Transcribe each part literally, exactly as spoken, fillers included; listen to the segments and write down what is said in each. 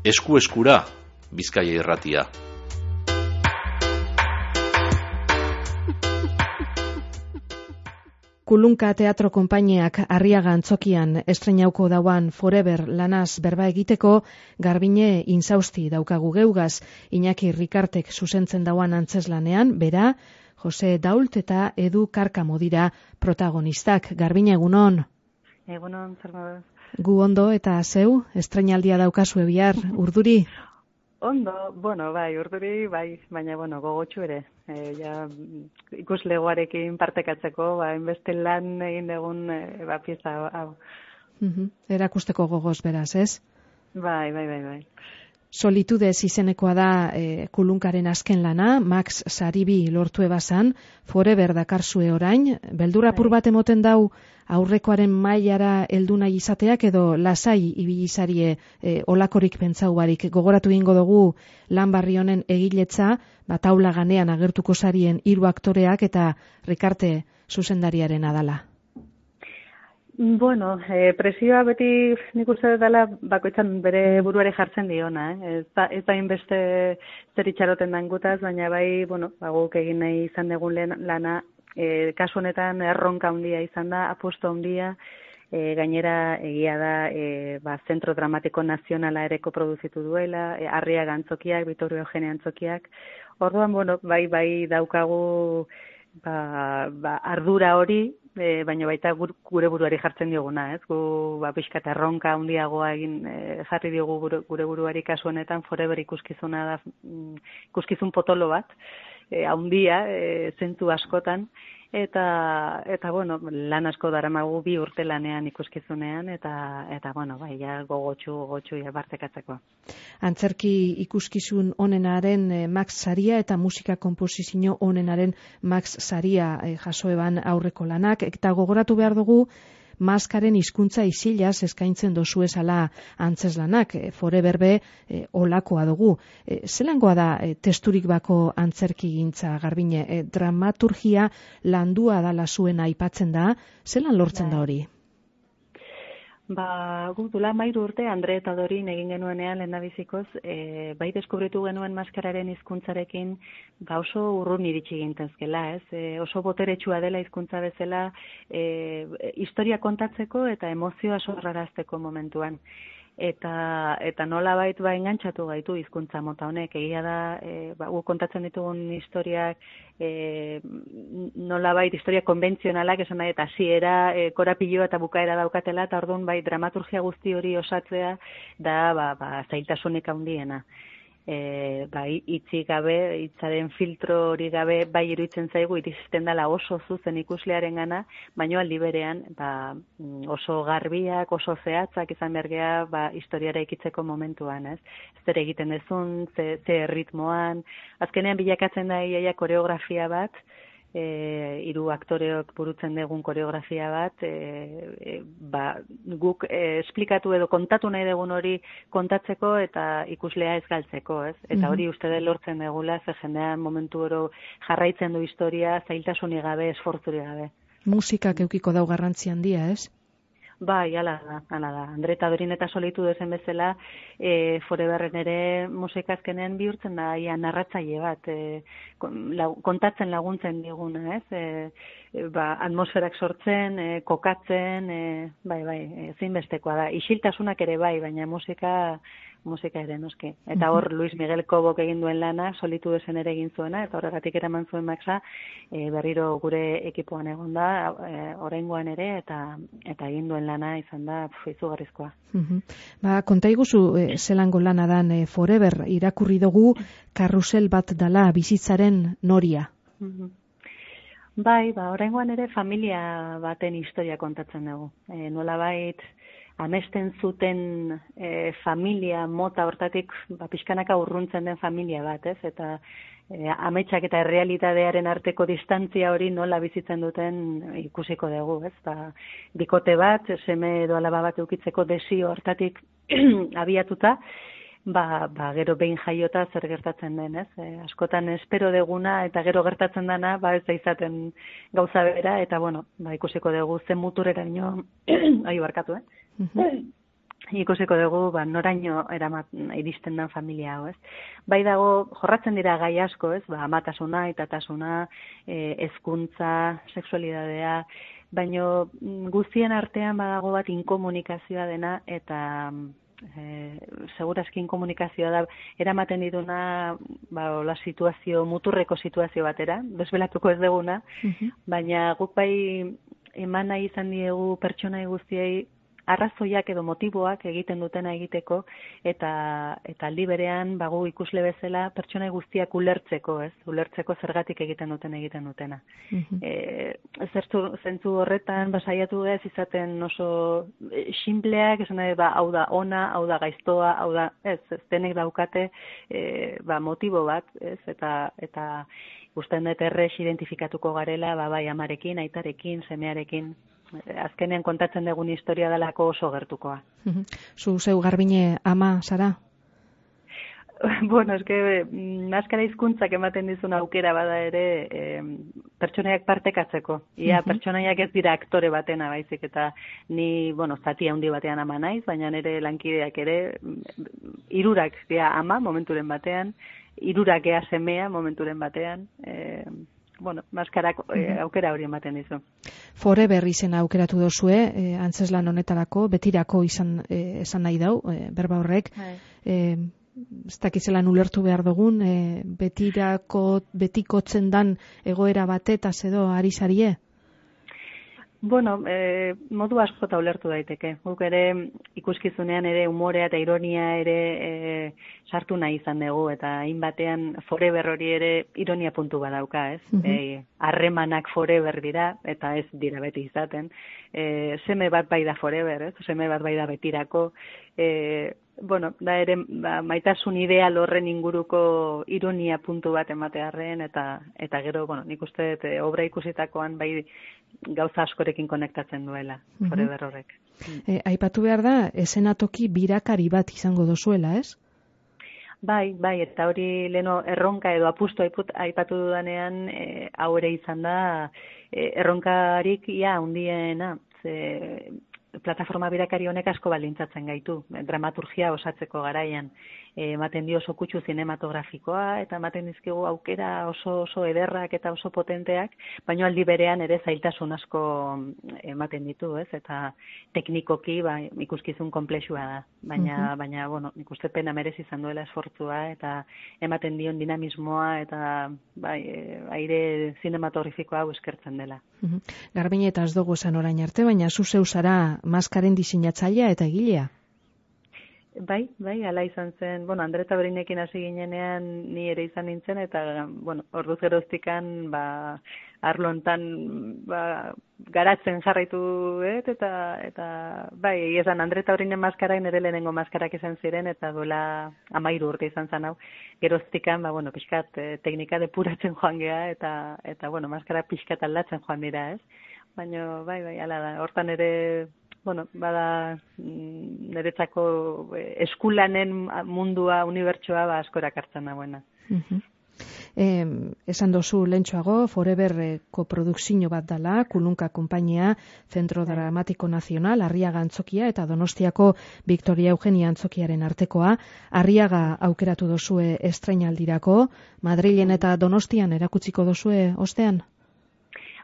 Esku-eskura, Bizkaia Irratia. Kulunka Teatro Konpainiak Arriaga Antzokian estreinauko dauan Forever lanaz berba egiteko Garbine Inzausti daukagu geugaz. Iñaki Rikartek zuzentzen dauan antzeslanean, bera, Jose Dault eta Edu Karkamo dira protagonistak. Garbine, egunon? Egunon, zer moduz? Gu ondo eta zeu, estreinaldia daukazu bihar, urduri? Ondo, bueno, bai, urduri, bai, baina, bueno, gogotxu ere. E, ja, ikuslegoarekin partekatzeko, ba, inbeste lan egin egun, e, ba, pieza hau. Uh-huh. Erakusteko gogoz beraz, ez? Bai, bai, bai, bai. Solitudez izenekoa da e, Kulunkaren azken lana, Max Saribi lortu ebazan, Forever dakarzue orain, beldur apur bat emoten dau aurrekoaren mailara heldu nahi izateak edo lasai ibilizarie e, olakorik pentsau barik. Gogoratu egingo dugu lan barri honen egiletza, bat aula ganean agertuko sarien hiru aktoreak eta Rikarte zuzendariaren adala. Bueno, eh, presioa beti nik uste dela bakoitzan bere buruari jartzen diona, eh? Ez da, ez da inbeste zer itxaroten dangutaz, baina bai, bueno, guk egin nahi izan dugun lana, eh, kasu honetan erronka handia izan da, apustu handia, eh, gainera egia da, eh, ba, Zentro Dramatiko Nazionala ereko produzitu duela, eh, Arriaga Antzokiak, Vitorio Eugene Antzokiak, orduan, bueno, bai, bai daukagu ba, ba, ardura hori, E, baina baita gure buruari jartzen dioguna, ez? Gu ba pixkat erronka handiagoa egin e, jarri diogu gure, gure buruari kasu honetan Forever ikuskizuna da, ikuskizun potolo bat, e, handia, e, zentu askotan, eta eta bueno, lan asko daramagu bi urte lanean ikuskizunean eta eta bueno, bai ja gogotsu gogotsu ja partekatzeko. Antzerki ikuskizun onenaren eh, Max Saria eta musika konposizio onenaren Max Saria eh, jaso eban aurreko lanak, eta gogoratu behar dugu maskaren hizkuntza isilaz eskaintzen dozu esala antzeslanak, e, Forever be e, olakoa dugu. E, zelangoa da e, testurik bako antzerki gintza, Garbine? E, dramaturgia landua dala zuen aipatzen da, zelan lortzen da hori? Ba, guk dula mairu urte Andre eta Dorin egin genuenean lehendabizikoz, e, bai deskubritu genuen maskararen hizkuntzarekin ba oso urrun iritsi gintezkela, ez? E, oso boteretsua dela hizkuntza bezala, e, historia kontatzeko eta emozioa sorrarazteko momentuan. Eta eta nolabait ba engantzatu gaitu hizkuntza mota honek, egia da, e, ba, guk kontatzen ditugun historiak, e, nolabait historia konbentzionalak esan nahi, eta hasiera, e, korapiloa eta bukaera daukatela, eta orduan bai dramaturgia guzti hori osatzea da ba, ba zailtasunik handiena. E, bai, hitzik gabe, hitzaren filtro hori gabe, bai iruditzen zaigu iristen dela oso zuzen ikuslearen gana, baina aldi berean ba, oso garbiak, oso zehatzak izan bergea ba, historiara ikitzeko momentuan, ez? Zer egiten dezun, ze, ze ritmoan, azkenean bilakatzen da iaia koreografia bat, E, hiru aktoreok burutzen dugun koreografia bat, e, e, ba, guk e, esplikatu edo kontatu nahi dugun hori kontatzeko eta ikuslea ez galtzeko, ez? Eta hori uste da lortzen dugula, ze jendean momentu oro jarraitzen du historia, zailtasunik gabe, esfortzurik gabe. Musikak eukiko dau garrantzi handia, ez? Bai, ala da, ala da. Andre eta Dorin eta solitu dezen bezala, e, Foreverren ere musikazkenean bihurtzen da, ia narratzaile bat, e, kontatzen laguntzen diguna, ez? E, e, ba, atmosferak sortzen, e, kokatzen, e, bai, bai, ezinbestekoa da. Isiltasunak ere bai, baina musika musika ere noski. Eta hor Luis Miguel Kobok egin duen lana, solitu dezen ere egin zuena, eta horregatik eraman zuen Maxa, e, berriro gure ekipoan egon da, e, oraingoan ere, eta eta egin duen lana izan da izugarrizkoa. Uh-huh. Ba, konta iguzu, e, zelango lana dan e, Forever, irakurri dugu karrusel bat dala bizitzaren noria. Uh-huh. Bai, ba, oraingoan ere familia baten historia kontatzen dugu. E, nolabait, amesten zuten e, familia mota hortatik ba, pixkanaka urruntzen den familia bat, ez? Eta e, ametsak eta errealitatearen arteko distantzia hori nola bizitzen duten ikusiko dugu, ez? Ba, bikote bat, seme edo alaba bat eukitzeko desio hortatik abiatuta, ba, ba, gero behin jaiota zer gertatzen den, ez? E, askotan espero deguna eta gero gertatzen dana, ba, ez da izaten gauza bera, eta bueno, ba, ikusiko dugu zen muturera ino, ahi barkatu, eh? Uh-huh. ikusiko dugu ba, noraino eramat, iristen den familia hau, ez? Bai dago, jorratzen dira gai asko, ez? Ba, amatasuna, aitatasuna, e, hezkuntza, sexualidadea, baina guztien artean badago bat inkomunikazioa dena, eta e, segurazki inkomunikazioa da, eramaten dituna, ba, la situazio, muturreko situazio batera, desbelatuko ez deguna, uh-huh. baina guk bai eman nahi izan diegu pertsonai guztiei arrazoiak edo motiboak egiten dutena egiteko, eta eta aldi berean bagu ikusle bezala pertsonai guztiak ulertzeko, ez? Ulertzeko zergatik egiten duten egiten dutena. Uh-huh. E, zertu, zentzu horretan basaiatu ez izaten oso sinpleak, esan nahi, ba, hau da ona, hau da gaiztoa, hau da, ez, ez denek daukate e, ba, motibo bat, ez? Eta eta usten dut errez identifikatuko garela, ba, bai amarekin, aitarekin, semearekin, azkenean kontatzen dugun historia delako oso gertukoa. Zu zeu Garbine ama, zara? Bueno, eske maskara hizkuntzak ematen dizun aukera bada ere eh, pertsonaiak partekatzeko. Ia uh-huh. pertsonaiak ez dira aktore batena baizik, eta ni, bueno, zati handi batean ama naiz, baina nire lankideak ere hirurak dira ama momenturen batean, hirurak ea semea momenturen batean, eh, bueno, maskarak eh, aukera hori ematen dizu. Forever izena aukeratu dozue, eh, antzeslan honetarako, betirako izan eh, esan nahi dau, eh, berba horrek, eh, ez dakizelan ulertu behar dugun, eh, betirako, betikotzen dan egoera batetaz edo ari zarie? Bueno, eh, modu askota ulertu daiteke. Guk ere ikuskizunean ere umorea eta ironia ere eh, sartu nahi izan dugu, eta hainbatean forever hori ere ironia puntu badauka, ez? Uh-huh. Eh, harremanak forever dira, eta ez dira beti izaten. Eh, seme bat bai da forever, ez? Seme bat bai da betirako. Eh, bueno, da ere ba, maitasun ideal horren inguruko ironia puntu bat ematearren, eta eta gero, bueno, nik uste dut e, obra ikusitakoan bai gauza askorekin konektatzen duela, uh-huh. forever horrek. E, aipatu behar da, esenatoki birakari bat izango dozuela, ez? Bai, bai, eta hori leno erronka edo apustu aipatu dudanean, e, hau ere izan da, e, erronkarik ia hundiena, ze plataforma birakari honek asko balintzatzen gaitu, dramaturgia osatzeko garaian, ematen dio oso kutsu zinematografikoa, eta ematen dizkigu aukera oso oso ederrak eta oso potenteak, baina aldi berean ere zailtasun asko ematen ditu, ez? Eta teknikoki ba, ikuskizun konplexua da, baina, uh-huh. baina bueno, nik uste pena merezi izan duela esfortzua, eta ematen dion dinamismoa, eta bai, aire zinematografikoa hau eskertzen dela. Uh-huh. Garbine eta ez dugu esan orain arte, baina zu zeu zara maskaren diseinatzailea eta egilea? Bai, bai, ala izan zen, bueno, Andre eta Berinekin hasi ginenean ni ere izan nintzen, eta, bueno, orduz geroztikan, ba, arlontan, ba, garatzen jarraitu, et, eta, eta, bai, esan Andre eta Berinen maskara, nire lehenengo maskarak izan ziren, eta duela amairu urte izan zen hau, geroztikan, ba, bueno, pixkat, teknika depuratzen joan gea, eta, eta, bueno, maskara pixkat aldatzen joan dira, ez? Baina, bai, bai, ala da, hortan ere, bueno, bada niretzako eskulanen mundua, unibertsoa, ba, askorak hartzen dagoena. Uh-huh. Eh, esan dozu lentsuago, Foreverreko produkzio bat dala, Kulunka konpainia, Centro Dramático Nacional, Arriaga Antzokia eta Donostiako Victoria Eugenia Antzokiaren artekoa. Arriaga aukeratu dozue estrainaldirako, Madrilen eta Donostian erakutsiko dozue ostean?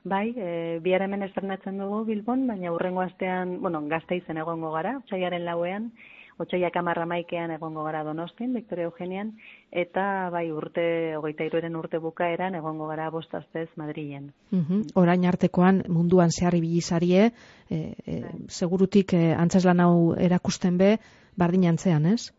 Bai, e, bihar hemen estrenatzen dugu Bilbon, baina hurrengo astean, bueno, Gasteizen egongo gara, otsailaren lauean, otsailak hamar hamaikean egongo gara Donostin, Victoria Eugenian, eta bai urte, hogeita hiruren urte bukaeran egongo gara bost astez Madrilen. Uh-huh. Orain artekoan munduan zehar ibili zarie, e, e, segurutik e, antzeslan hau erakusten be, bardin antzean, ez?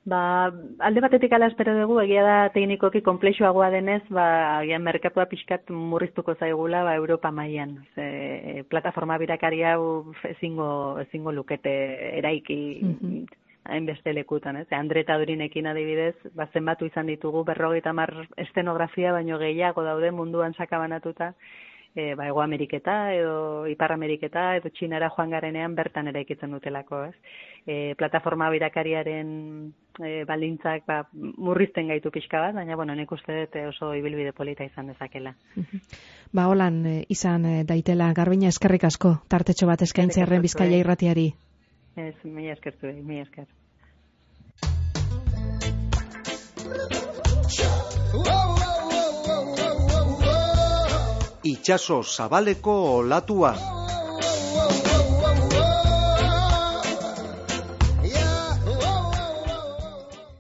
Ba, alde batetik ala espero dugu, egia da teknikoki konplexuagoa denez, ba, agian merkatua pixkat murriztuko zaigula, ba, Europa mailan. Ze, plataforma birakari hau ezingo, ezingo lukete eraiki mm-hmm. hainbeste lekutan, ez? Andre eta Dorinekin adibidez, ba, zenbatu izan ditugu, berrogeita hamar estenografia, baino gehiago daude munduan sakabanatuta, E, ba, Ego Ameriketa edo Ipar Ameriketa edo Txinara joan garenean bertan eraikitzen dutelako, ez? E, plataforma birakariaren e, baldintzak ba, murrizten gaitu pixka bat, baina bueno, nik uste dut oso ibilbide polita izan dezakela. Ba, holan izan daitela, Garbina, eskerrik asko, tartetxo bat eskaintzearren Bizkaia irratiari. Ez, mila esker zuei, mila esker. Itxaso zabaleko olatua.